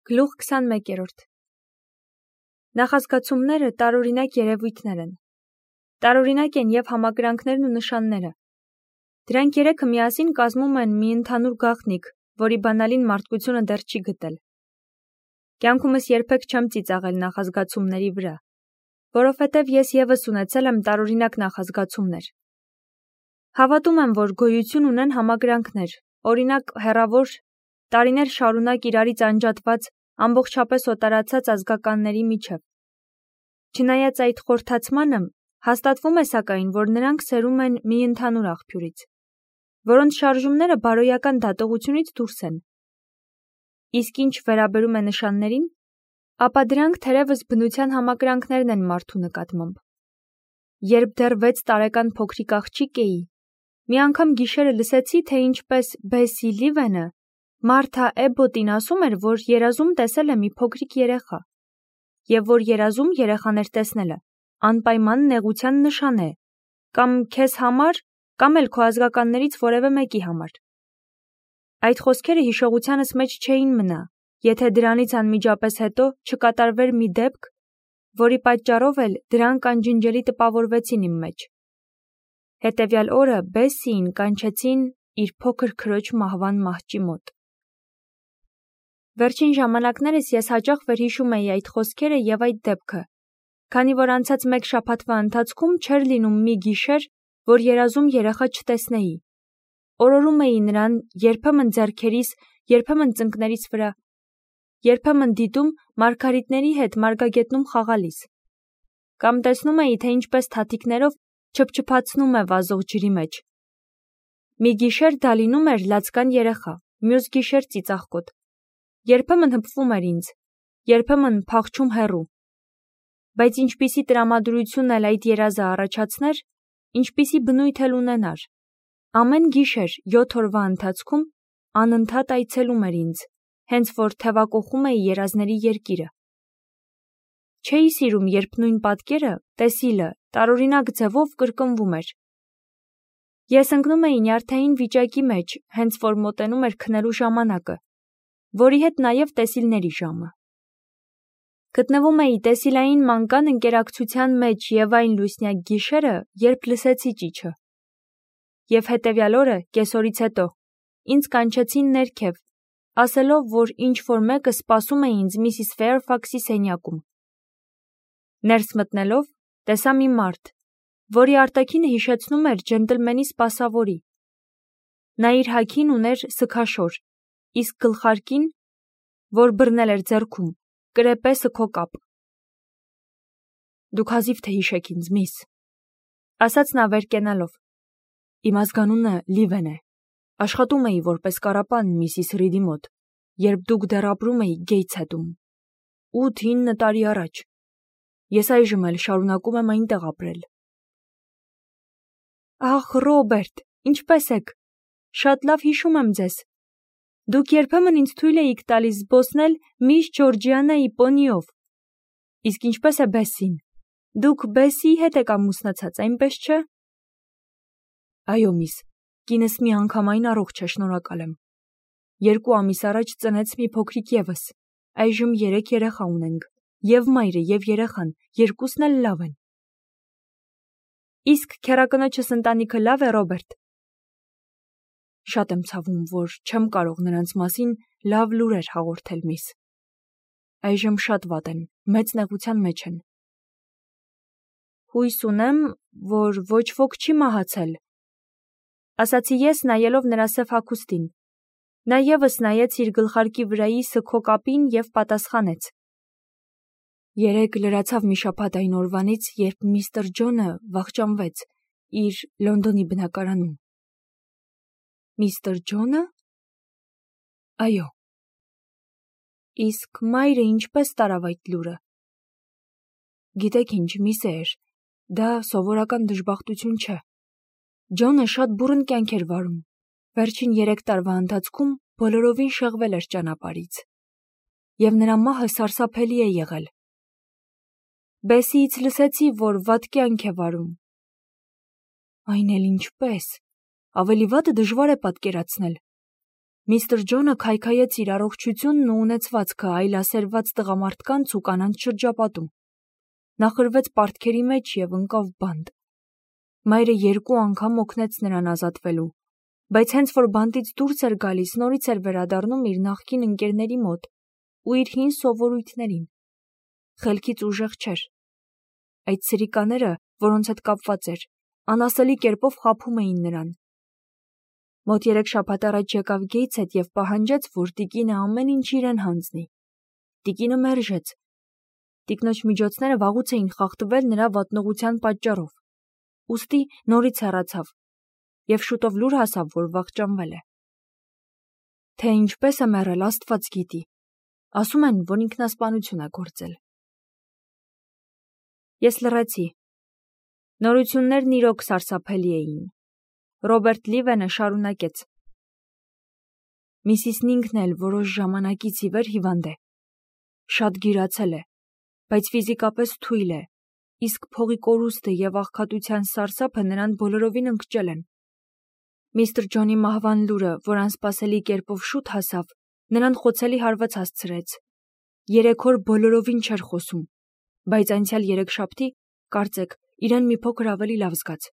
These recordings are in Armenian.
Գլուխ 21-րդ Նախազգացումները տարօրինակ երևույթներ են։ Տարօրինակ են և համակրանքներն ու նշանները։ Դրանք երեքը միասին կազմում են մի ընդհանուր գաղտնիք, որի բանալին մարդկությունը դեռ չի գտել։ Կյանքումս երբեք չեմ ծիծաղել նախազգացումների վրա, որովհետև ես ևս ունեցել եմ տարօրինակ նախազգացումներ։ Հավատում եմ, որ գոյություն ունեն համակրանքներ, օրինակ հեռավոր, տարիներ շարունակ իրարից անջատված, ամբողջապես օտարացած ազգականների միջև։ Չնայած այդ խորհրդացմանը, հաստատվում է սակայն, որ նրանք սերում են մի ընդհանուր աղբյուրից, որոնց շարժումները բարոյական դատողությունից դուրս են։ Իսկ ինչ վերաբերում է նշաններին, ապա դրանք թերևս բնության համակրանքներն են մարդու նկատմամբ։ Երբ դեռ 6 տարեկան փոքրիկ աղջիկ էի, մի անգամ գիշերը լսեցի, թե ինչպես Բեսսի Լիվենը Մարթա Էբոտին ասում էր, որ երազում տեսել է մի փոքրիկ երեխա, և որ երազում երեխաներ տեսնելը անպայման նեղության նշան է, կամ քեզ համար, կամ էլ քո ազգականներից որևէ մեկի համար։ Այդ խոսքերը հիշողությանս մեջ չէին մնա, եթե դրանից անմիջապես հետո չկատարվեր մի դեպք, որի պատճառով էլ դրանք անջնջելի տպավորվեցին իմ մեջ։ Հետևյալ օրը Բեսսիին կանչեցին իր փոքր քրոջ մահվան մահճի մոտ։ Վերջին ժամանակներս ես հաճախ վերհիշում էի այդ խոսքերը և այդ դեպքը, քանի որ անցած 1 շաբաթվա ընթացքում չէր լինում մի գիշեր, որ երազում երեխա չտեսնեի։ Օրորում էի նրան երբեմն ձեռքերիս, երբեմն ծնկներիս վրա, երբեմն դիտում մարգարիտների հետ մարգագետնում խաղալիս, կամ տեսնում էի, թե ինչպես թաթիկներով չփչփացնում է վազող ջրի մեջ։ Մի գիշեր դա լինում էր լացկան երեխա, մյուս գիշեր ծիծաղկոտ։ Երբեմն հպվում էր ինձ, երբեմն փախչում հեռու։ Բայց ինչպիսի տրամադրություն էլ այդ երազը առաջացներ, ինչպիսի բնույթ էլ ունենար, ամեն գիշեր 7 օրվա ընթացքում անընդհատ այցելում էր ինձ, հենց որ թևակոխում էի երազների երկիրը։ Չէի սիրում, երբ նույն պատկերը, տեսիլը, տարօրինակ ձևով կրկնվում էր։ Ես ընկնում էի նյարդային վիճակի մեջ, հենց որ մոտենում էր քնելու ժամանակը, որի հետ նաև տեսիլների ժամը։ Գտնվում էի տեսիլային մանկան ընկերակցության մեջ և այն լուսնյակ գիշերը, երբ լսեցի ճիչը։ Եվ հետևյալ օրը, կեսօրից հետո, ինձ կանչեցին ներքև, ասելով, որ ինչ-որ մեկը սպասում է ինձ Միսիս Ֆեյրֆաքսի սենյակում։ Ներս մտնելով, տեսա մի մարդ, որի արտաքինը հիշեցնում էր ջենտլմենի սպասավորի։ Նա իր հագին ուներ սգաշոր, իսկ գլխարկին, որ բռնել էր ձեռքում, կրեպե սգո կապ։ «Դուք հազիվ թե հիշեք ինձ, միս», ասաց նա վեր կենալով։ «Իմ ազգանունը Լիվեն է։ Աշխատում էի որպես կառապան Միսիս Ռիդի մոտ, երբ դուք դեռ ապրում էիք Գեյթսհեդում, 8-9 տարի առաջ։ Ես այժմ էլ շարունակում եմ այնտեղ ապրել»։ «Ախ, Ռոբերտ, ինչպե՞ս եք։ Շատ լավ հիշում եմ ձեզ։ Դուք երբեմն ինձ թույլ էիք տալիս զբոսնել միս Ջորջիանայի պոնիով։ Իսկ ինչպե՞ս է Բեսսին։ Դուք Բեսսիի հետ եք ամուսնացած, այնպես չէ»։ «Այո, միս, կինս միանգամայն առողջ է, շնորհակալ եմ։ 2 ամիս առաջ ծնեց մի փոքրիկ ևս, այժմ 3 երեխա ունենք, և մայրը, և երեխան, երկուսն էլ լավ են»։ «Իսկ քեռակնոջս ընտանիքը լավ է, Ռոբերտ»։ «Շատ եմ ցավում, որ չեմ կարող նրանց մասին լավ լուրեր հաղորդել, միս։ Այժմ շատ վատ են, մեծ նեղության մեջ են»։ «Հույս ունեմ, որ ոչ ոք չի մահացել», ասացի ես, նայելով նրա սև հագուստին։ Նա ևս նայեց իր գլխարկի վրայի սգո կապին և պատասխանեց. «Երեկ լրացավ մի շաբաթ այն օրվանից, երբ միստր Ջոնը վախճանվեց իր Լոնդոնի բնակարանում»։ «Միստր Ջոնը»։ «Այո»։ «Իսկ մայրը ինչպես տարավ այդ լուրը»։ «Գիտեք ինչ, միս Էյր, դա սովորական դժբախտություն չէ։ Ջոնը շատ բուռն կյանք էր վարում, վերջին 3 տարվա ընթացքում բոլորովին շեղվել էր ճանապարհից, և նրա մահը սարսափելի է եղել։ Բեսսիից լսեցի, որ վատ կյանք է վարում»։ «Այն էլ ինչպես, ավելի վատը դժվար է պատկերացնել։ Միստր Ջոնը քայքայեց իր առողջությունն ու ունեցվածքը այլասերված տղամարդկանց ու կանանց շրջապատում։ Նա խրվեց պարտքերի մեջ և ընկավ բանտ։ Մայրը 2 անգամ օգնեց նրան ազատվելու, բայց հենց որ բանտից դուրս էր գալիս, նորից էր վերադառնում իր նախկին ընկերների մոտ ու իր հին սովորույթներին։ Խելքից ուժեղ չէր։ Այդ սրիկաները, որոնց հետ կապված էր, անասելի կերպով խաբում էին նրան։ Մոտ 3 շաբաթ առաջ եկավ Գեյթս հետ և պահանջեց, որ տիկինը ամեն ինչ իրեն հանձնի։ Տիկինը մերժեց։ Տիկնոջ միջոցները վաղուց էին խախտվել նրա վատնողության պատճառով։ Ուստի նորից հեռացավ և շուտով լուր հասավ, որ վախճանվել է։ Թե ինչպես է մեռել, Աստված գիտի։ Ասում են, որ ինքնասպանություն է գործել։ Ես լռեցի։ Նորություններն իրոք սարսափելի էին։ Ռոբերտ Լիվենը շարունակեց. Միսիսն ինքն էլ որոշ ժամանակից ի վեր հիվանդ է։ Շատ գիրացել է, բայց ֆիզիկապես թույլ է, իսկ փողի կորուստը և աղքատության սարսափը նրան բոլորովին ընկճել են։ Միստր Ջոնի մահվան լուրը, որ անսպասելի կերպով շուտ հասավ, նրան խոցելի հարված հասցրեց։ 3 օր բոլորովին չէր խոսում, բայց անցյալ 3 շաբթի, կարծեք, իրեն մի փոքր ավելի լավ զգաց։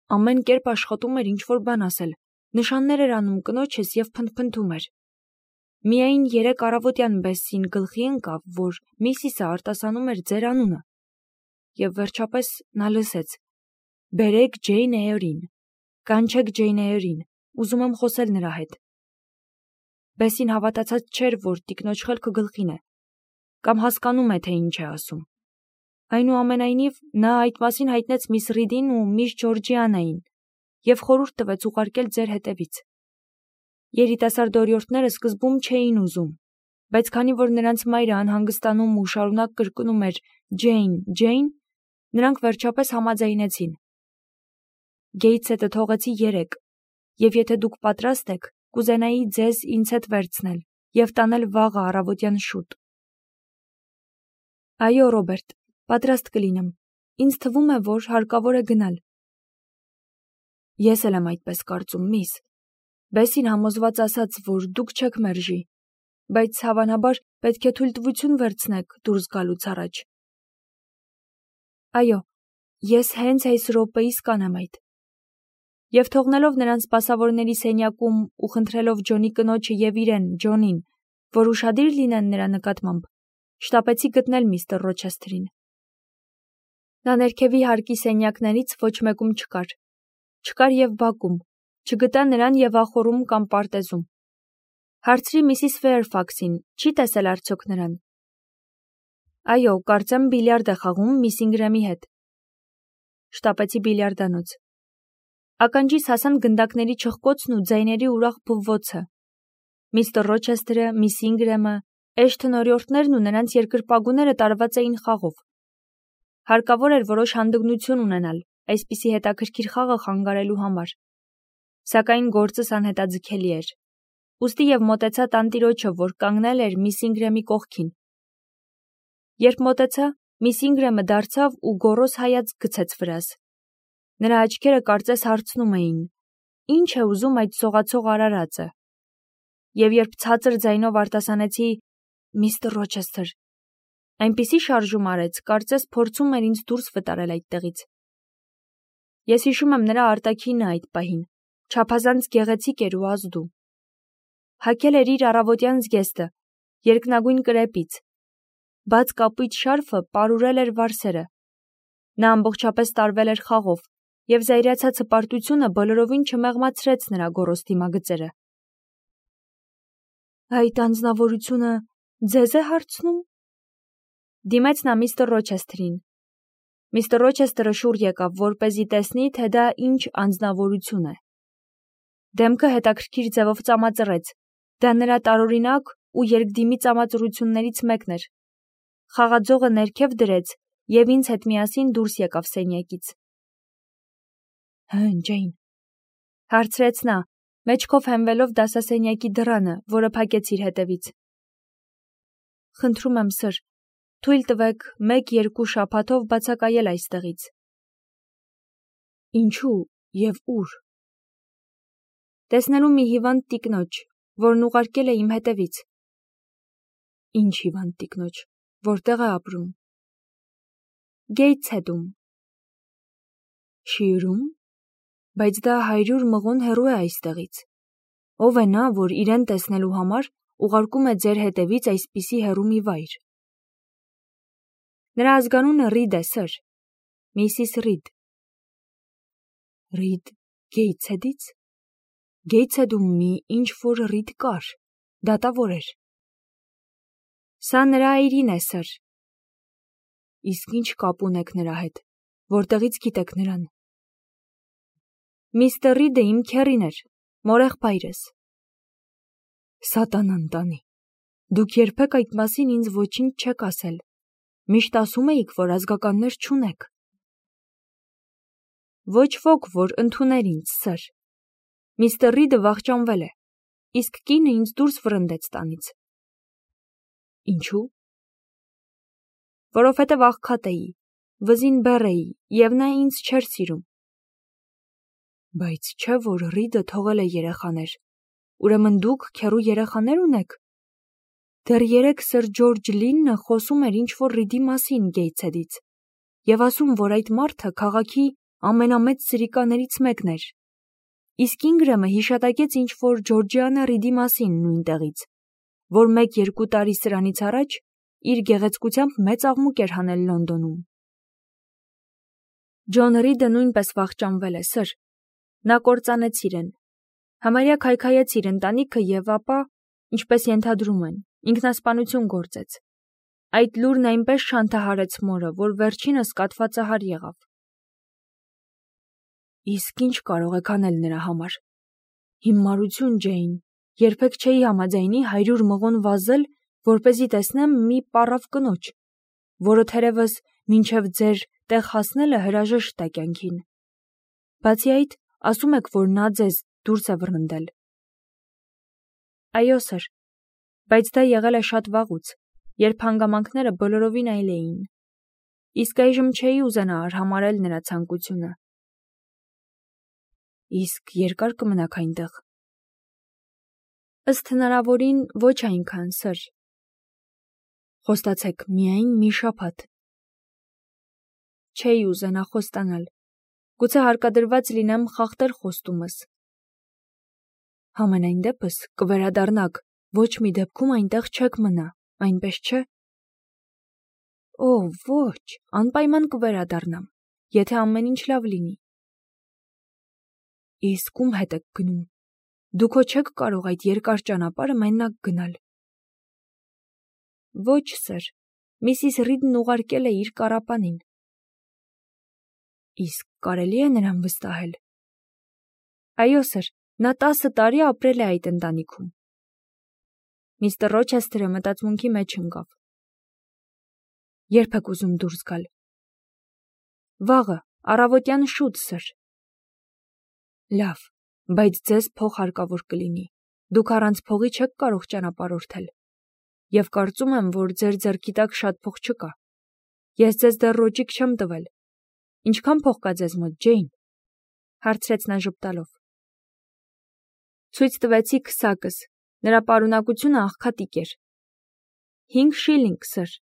Ամեն կերպ աշխատում էր ինչ-որ բան ասել, նշաններ էր անում կնոջս և փնթփնթում էր։ Միայն 3 առավոտյան Բեսսին գլխի ընկավ, որ Միսիսը արտասանում էր ձեր անունը։ Եվ վերջապես նա լսեց. «Բերեք Ջեյն Էյրին, կանչեք Ջեյն Էյրին, ուզում եմ խոսել նրա հետ»։ Բեսսին հավատացած չէր, որ տիկնոջ խելքը գլխին է, կամ հասկանում է, թե ինչ է ասում։ Այնուամենայնիվ, նա այդ մասին հայտնեց միս Ռիդին ու միս Ջորջիանային և խորհուրդ տվեց ուղարկել ձեր հետևից։ Երիտասարդ օրիորդները սկզբում չէին ուզում, բայց քանի որ նրանց մայրը անհանգստանում ու շարունակ կրկնում էր «Ջեյն, Ջեյն», նրանք վերջապես համաձայնեցին։ Գեյթս հետը թողեցի 3, և եթե դուք պատրաստ եք, կուզենայի ձեզ ինձ հետ վերցնել և տանել վաղը առավոտյան շուտ։ Այո, Ռոբերտ, պատրաստ կլինեմ։ Ինձ թվում է, որ հարկավոր է գնալ։ Ես էլ եմ այդպես կարծում, միս։ Բեսին համոզված ասաց, որ դուք չեք մերժի, բայց հավանաբար պետք է թույլտվություն վերցնեք դուրս գալուց առաջ։ Այո, ես հենց այս րոպեիս կանեմ այդ։ Եվ թողնելով նրան սպասավորների սենյակում ու խնդրելով Ջոնի կնոջը և իրեն, Ջոնին, որ ուշադիր լինեն նրա նկատմամբ, շտապեցի գտնել միստր Ռոչեսթերին։ Նա ներքևի հարկի սենյակներից ոչ մեկում չկար։ Չկար և բակում, չգտա նրան և ախոռում կամ պարտեզում։ Հարցրի Միսիս Ֆեյրֆաքսին, չի տեսել արդյոք նրան։ Այո, կարծեմ բիլիարդ է խաղում միս Ինգրեմի հետ։ Շտապեցի բիլիարդանոց։ Ականջիս հասան գնդակների չխկոցն ու ձայների ուրախ բվոցը։ Միստր Ռոչեսթերը, միս Ինգրեմը, Էշթոն օրիորդներն ու նրանց երկրպագուները տարված էին խաղով։ Հարկավոր էր որոշ հանդգնություն ունենալ այսպիսի հետաքրքիր խաղը խանգարելու համար։ Սակայն գործս անհետաձգելի էր։ Ուստի և մոտեցա տանտիրոջը, որ կանգնել էր միս Ինգրեմի կողքին։ Երբ մոտեցա, միս Ինգրեմը դարձավ ու գոռոզ հայացք գցեց վրաս։ Նրա աչքերը կարծես հարցնում էին. «Ինչ է ուզում այդ սողացող արարածը»։ Եվ երբ ցածր ձայնով արտասանեցի «Միստր Ռոչեսթեր», այնպիսի շարժում արեց, կարծես փորձում էր ինձ դուրս վտարել այդտեղից։ Ես հիշում եմ նրա արտաքինը այդ պահին, չափազանց գեղեցիկ էր ու ազդու։ Հագել էր իր առավոտյան զգեստը, երկնագույն կրեպից։ Բաց կապույտ շարֆը պարուրել էր վարսերը։ Նա ամբողջապես տարվել էր խաղով, և զայրացած հպարտությունը բոլորովին չմեղմացրեց նրա գոռոզ դիմագծերը։ Այդ անձնավորությունը ձեզ է հարցնում։ Դիմեց նա միստր Ռոչեսթերին։ Միստր Ռոչեսթերը շուռ եկավ, որպեսզի տեսնի, թե դա ինչ անձնավորություն է։ Դեմքը հետաքրքիր ձևով ծամածռեց։ Դա նրա տարօրինակ ու երկդիմի ծամածռություններից մեկն էր։ Խաղաձողը ներքև դրեց և ինձ հետ միասին դուրս եկավ սենյակից։ Ջեյն, հարցրեց նա, մեջքով հենվելով դասասենյակի դռանը, որը փակեց իր հետևից։ Խնդրում եմ, սըր, թույլ տվեք 1-2 շաբաթով բացակայել այստեղից։ Ինչու և ուր։ Տեսնելու մի հիվանդ տիկնոջ, որն ուղարկել է իմ հետևից։ Ինչ հիվանդ տիկնոջ, որտեղ է ապրում։ Գեյթսհեդում։ Շիուրում, բայց դա 100 մղոն հեռու է այստեղից։ Ով է նա, որ իրեն տեսնելու համար ուղարկում է ձեր հետևից այսպիսի հեռու մի վայր։ Նրա ազգանունը Ռիդ է, սըր։ Միսիս Ռիդ։ Ռիդ Գեյթսհեդից։ Գեյթսհեդում մի ինչ-որ Ռիդ կար, դատավոր էր։ Սա նրա այրին է, սըր։ Իսկ ինչ կապ ունեք նրա հետ, որտեղից գիտեք նրան։ Միստր Ռիդը իմ քեռին էր, մորեղբայրս։ Սատանան տանի։ Դուք երբեք այդ մասին ինձ ոչինչ չեք ասել։ Միշտ ասում էիք, որ ազգականներ չունեք։ Ոչ ոք, որ ընդուներ ինձ, սըր։ Միստր Ռիդը վախճանվել է, իսկ կինը ինձ դուրս վռնդեց տանից։ Ինչու՞։ Որովհետև աղքատ էի, վզին բեռ էի, և նա ինձ չէր սիրում։ Բայց չէ, որ Ռիդը թողել է երեխաներ, ուրեմն դուք քեռու երեխաներ ունեք։ Դեռ երեկ սըր Ջորջ Լիննը խոսում էր ինչ-որ Ռիդի մասին Գեյթսհեդից և ասում, որ այդ մարդը քաղաքի ամենամեծ սրիկաներից մեկն էր։ Իսկ Ինգրեմը հիշատակեց ինչ-որ Ջորջիանա Ռիդի մասին նույն տեղից, որ 1-2 տարի սրանից առաջ իր գեղեցկությամբ մեծ աղմուկ էր հանել Լոնդոնում։ Ջոն Ռիդը նույնպես վախճանվել է, սըր։ Նա կործանեց իրեն։ Համարյա քայքայեց իր ընտանիքը և ապա, ինչպես ենթադրում են, ինքնասպանություն գործեց։ Այդ լուրն այնպես շանթահարեց մորը, որ վերջինս կաթվածահար եղավ։ Իսկ ինչ կարող եք անել նրա համար։ Հիմարություն, Ջեյն, երբեք չէի համաձայնի 100 մղոն վազել, որպեսզի տեսնեմ մի պառավ կնոջ, որը թերևս մինչև ձեր տեղ հասնելը հրաժեշտ է կյանքին։ Բացի այդ, ասում եք, որ նա ձեզ դուրս է վռնդել։ Այո, սըր, բայց դա եղել է շատ վաղուց, երբ հանգամանքները բոլորովին այլ էին։ Իսկ այժմ չէի ուզենա արհամարհել նրա ցանկությունը։ Իսկ երկա՞ր կմնաք այնտեղ։ Ըստ հնարավորին ոչ այնքան, սըր։ Խոստացեք միայն մի շաբաթ։ Չէի ուզենա խոստանալ։ Գուցե հարկադրված լինեմ խախտել խոստումս։ Համենայն դեպս կվերադառնաք, ոչ մի դեպքում այնտեղ չեք մնա, այնպես չէ։ Օ, ոչ, անպայման կվերադառնամ, եթե ամեն ինչ լավ լինի։ Իսկ ում հետ եք գնում։ Դուք հո չեք կարող այդ երկար ճանապարհը մենակ գնալ։ Ոչ, սըր, Միսիս Ռիդն ուղարկել է իր կառապանին։ Իսկ կարելի է նրան վստահել։ Այո, սըր, նա 10 տարի ապրել է այդ ընտանիքում։ Միստր Ռոչեսթերը մտածմունքի մեջ ընկավ։ Երբ եք ուզում դուրս գալ։ Վաղը, առավոտյան շուտ, սըր։ Լավ, բայց ձեզ փող հարկավոր կլինի։ Դուք առանց փողի չեք կարող ճանապարհորդել։ Եվ կարծում եմ, որ ձեր ձեռքի տակ շատ փող չկա։ Ես ձեզ դեռ ռոճիկ չեմ տվել։ Ինչքան փող կա ձեզ մոտ, Ջեյն, հարցրեց նա ժպտալով։ Ցույց տվեցի քսակս, նրա պարունակությունը աղքատիկ էր։ 5 շիլինգ, սըր։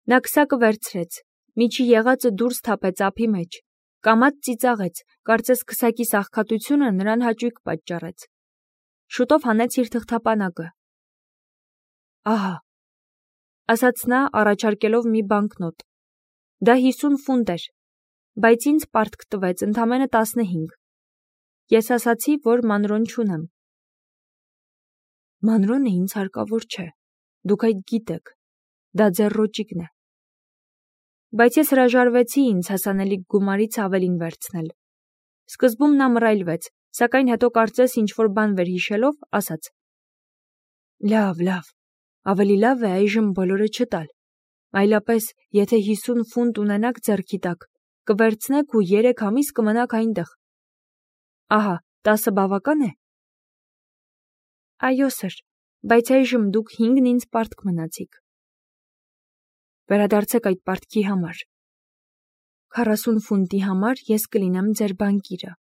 Նա քսակը վերցրեց, միջի եղածը դուրս թափեց ափի մեջ, կամաց ծիծաղեց, կարծես քսակի աղքատությունը նրան հաճույք պատճառեց։ Շուտով հանեց իր թղթապանակը։ Ահա, ասաց նա, առաջարկելով մի բանկնոտ։ Դա 50 ֆունտ էր, բայց ինձ պարտք տվեց ընդամենը 15։ Ես ասացի, որ մանրոն չունեմ։ Մանրոնը ինձ հարկավոր չէ, դուք այդ գիտեք, դա ձեր ռոճիկն է։ Բայց ես հրաժարվեցի ինձ հասանելիք գումարից ավելին վերցնել։ Սկզբում նա մռայլվեց, սակայն հետո կարծես ինչ-որ բան վերհիշելով, ասաց. Լավ, ավելի լավ է այժմ բոլորը չտալ, այլապես, եթե 50 ֆունտ ունենաք ձեռքի տակ, կվերցնեք ու 3 ամիս կմնաք այնտեղ։ Ահա, 10 բավական է։ Այո, սըր, բայց այժմ դուք 5-ն ինձ պարտք մնացիք։ Վերադարձեք այդ պարտքի համար։ 40 ֆունտի համար ես կլինեմ ձեր բանկիրը։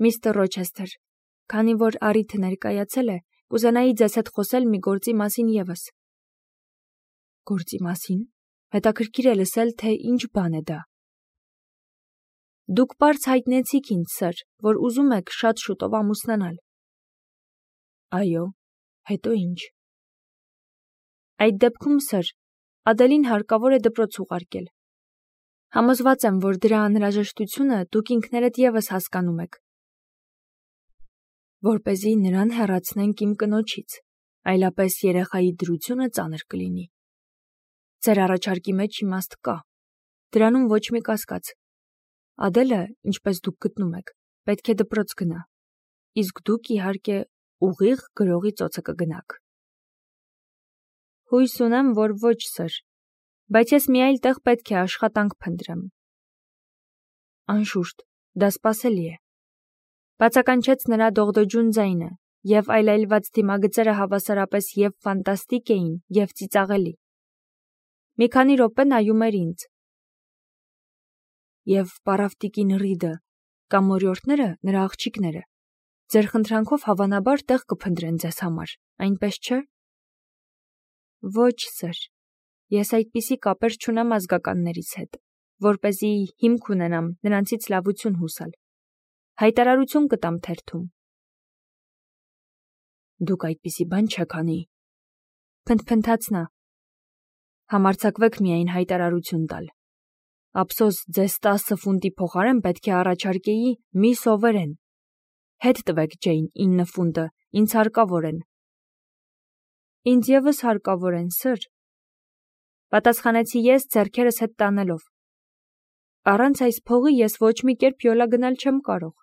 Միստր Ռոչեսթեր, Քանի որ առիթը ներկայացել է, կուզենայի ձեզ հետ խոսել մի գործի մասին ևս։ Գործի մասին։ Հետաքրքիր է լսել, թե ինչ բան է դա։ Դուք պարզ հայտնեցիք ինձ, սըր, որ ուզում եք շատ շուտով ամուսնանալ։ Այո, հետո ինչ։ Այդ դեպքում, սըր, Ադելին հարկավոր է դպրոց ուղարկել։ Համոզված եմ, որ դրա անհրաժեշտությունը դուք ինքներդ ևս հասկանում եք։ Որպեսզի նրան հեռացնենք իմ կնոջից, այլապես երեխայի դրությունը ծանր կլինի։ Ձեր առաջարկի մեջ իմաստ կա։ Դրանում ոչ մի կասկած։ Ադելը, ինչպես դուք գտնում եք, պետք է դպրոց գնա, իսկ դուք, իհարկե, ուղիղ գրողի ծոցը կգնաք։ Հույս ունեմ, որ ոչ, սըր, բայց ես մի այլ տեղ պետք է աշխատանք փնտրեմ։ Անշուշտ, դա սպասելի է։ Բացականչեց նրա դողդոջուն ձայնը, և այլայլված դիմագծերը հավասարապես և ֆանտաստիկ էին, և ծիծաղելի։ Մի քանի րոպե նայում էր ինձ։ Եվ պարավտիկին Ռիդը կամ մորյորդները, նրա աղջիկները, ձեր խնդրանքով հավանաբար տեղ կփնտրեն ձեզ համար, այնպես չէ։ Ոչ, սըր, ես այդպիսի կապեր չունեմ ազգականներից հետ, որպեսզի հիմք ունենամ նրանցից լավություն հուսալ։ Հայտարարություն կտամ թերթում։ Դուք այդպիսի բան չեք անի։ Փնթփնթաց նա։ Համարձակվեք միայն հայտարարություն տալ։ Ափսոս, ձեզ 10 ֆունտի փոխարեն պետք է առաջարկեի մի սովերեն։ Հետ տվեք, Ջեյն, 9 ֆունտը, ինձ հարկավոր են։ Ինձ ևս հարկավոր են, սըր, պատասխանեցի ես ձեռքերս հետ տանելով։ Առանց այս փողի ես ոչ մի կերպ յոլա գնալ չեմ կարող։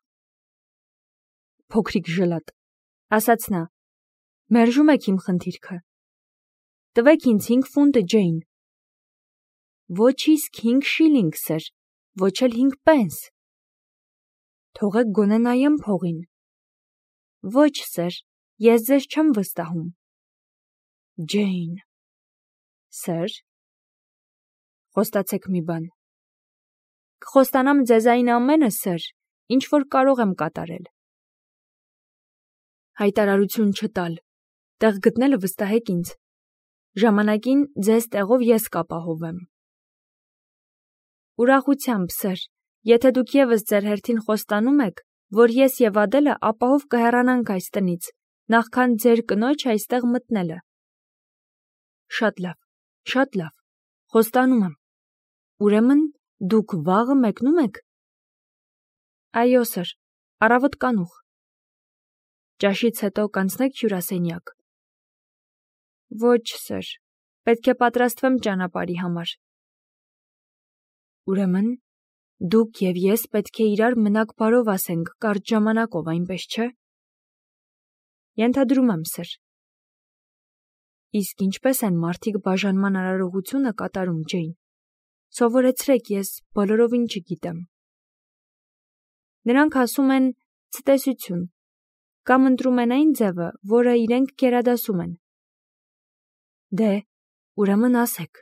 Փոքրիկ ժլատ, ասաց նա, մերժում եք իմ խնդիրքը։ Տվեք ինձ 5 ֆունտը, Ջեյն։ Ոչ իսկ 5 շիլինգ, սըր, ոչ էլ 5 պենս։ Թողեք գոնե նայեմ փողին։ Ոչ, սըր, ես ձեզ չեմ վստահում։ Ջեյն։ Սըր։ Խոստացեք մի բան։ Կխոստանամ ձեզ այն ամենը, սըր, ինչ որ կարող եմ կատարել։ Հայտարարություն չտալ։ Տեղ գտնելը վստահեք ինձ։ Ժամանակին ձեզ տեղով ես կապահովեմ։ Ուրախությամբ, սըր, եթե դուք ևս ձեր հերթին խոստանում եք, որ ես և Ադելը ապահով կհեռանանք այս տնից, նախքան ձեր կնոջ այստեղ մտնելը։ Շատ լավ, խոստանում եմ։ Ուրեմն դուք վաղը մեկնում եք։ Այո, սըր, առավոտ կանուխ։ Ճաշից հետո կանցնեք հյուրասենյակ։ Ոչ, սըր, պետք է պատրաստվեմ ճանապարհի համար։ Ուրեմն դուք և ես պետք է իրար մնաք բարով ասենք կարճ ժամանակով, այնպես չէ։ Ենթադրում եմ, սըր։ Իսկ ինչպես են մարդիկ բաժանման արարողությունը կատարում, Ջեյն։ Սովորեցրեք, ես բոլորովին չգիտեմ։ Նրանք ասում են ցտեսություն, կամ ընտրում են այն ձևը, որը իրենք գերադասում են։ Դե, ուրեմն ասեք։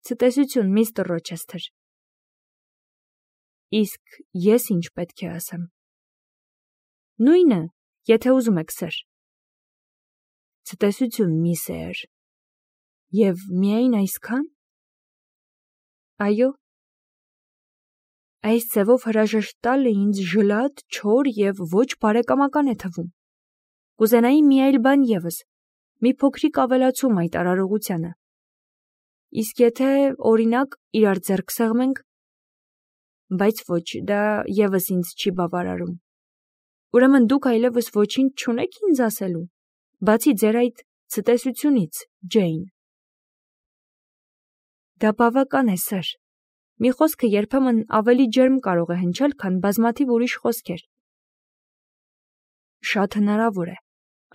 Ցտեսություն, միստր Ռոչեսթեր։ Իսկ ես ինչ պետք է ասեմ։ Նույնը, եթե ուզում եք, սըր։ Ցտեսություն, միսեր։ Եվ միայն այսքան։ Այո։ Այս ձևով հրաժեշտ տալը ինձ ժլատ, չոր և ոչ բարեկամական է թվում։ Կուզենայի մի այլ բան ևս, մի փոքրիկ ավելացում այդ արարողությանը։ Իսկ եթե, օրինակ, իրար ձեռք սեղմենք, բայց ոչ, դա ևս ինձ չի բավարարում։ Ուրեմն դուք այլևս ոչինչ չունեք ինձ ասելու, բացի ձեր այդ ցտեսությունից, Ջեյն։ Դա բավական է, սըր։ Մի խոսքը երբեմն ավելի ջերմ կարող է հնչել, քան բազմաթիվ ուրիշ խոսքեր։ Շատ հնարավոր է։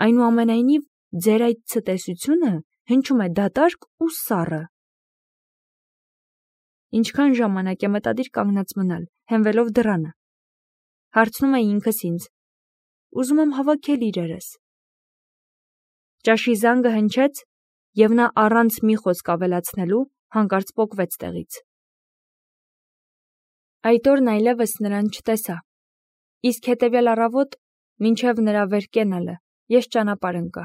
Այնուամենայնիվ, ձեր այդ ցտեսությունը հնչում է դատարկ ու սառը։ Ինչքան ժամանակ է մտադիր կանգնած մնալ, հենվելով դռանը։ Հարցնում է ինքս ինձ։ Ուզում եմ հավաքել իրերս։ Ճաշի զանգը հնչեց, և նա առանց մի խոսք ավելացնելու հանկարծ պոկվեց տեղից։ Այդ օրն այլևս նրան չտեսա, իսկ հետևյալ առավոտ Մինչև նրա վեր կենալը ես ճանապարհ ընկա։